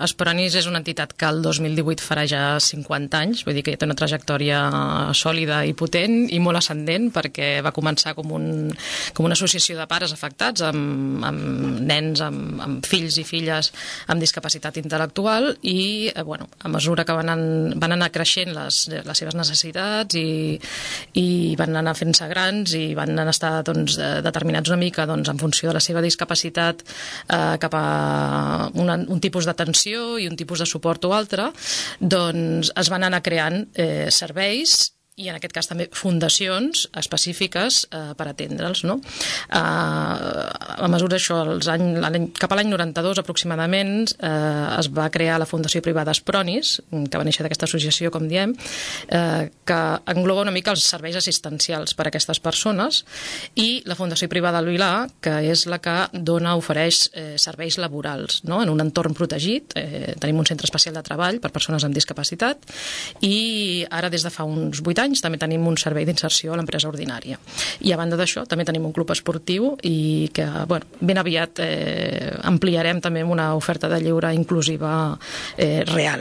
Espronis és una entitat que el 2018 farà ja 50 anys, vull dir que ja té una trajectòria sòlida i potent i molt ascendent, perquè va començar com una associació de pares afectats amb nens, amb fills i filles amb discapacitat intel·lectual i a mesura que van anar creixent les seves necessitats i van anar fent-se grans i van anar estar determinats una mica en funció de la seva discapacitat cap a un tipus d'atenció i un tipus de suport o altre, doncs es van anar creant serveis i en aquest cas també fundacions específiques per atendre'ls, no? A mesura d'això, cap a l'any 92 aproximadament es va crear la Fundació Privada Espronis, que va néixer d'aquesta associació, com diem, que engloba una mica els serveis assistencials per a aquestes persones, i la Fundació Privada Lilà, que és la que ofereix serveis laborals, no? En un entorn protegit. Tenim un centre especial de treball per persones amb discapacitat i ara des de fa uns 8 anys també tenim un servei d'inserció a l'empresa ordinària. I a banda d'això també tenim un club esportiu i que ben aviat ampliarem també amb una oferta de lleure inclusiva real.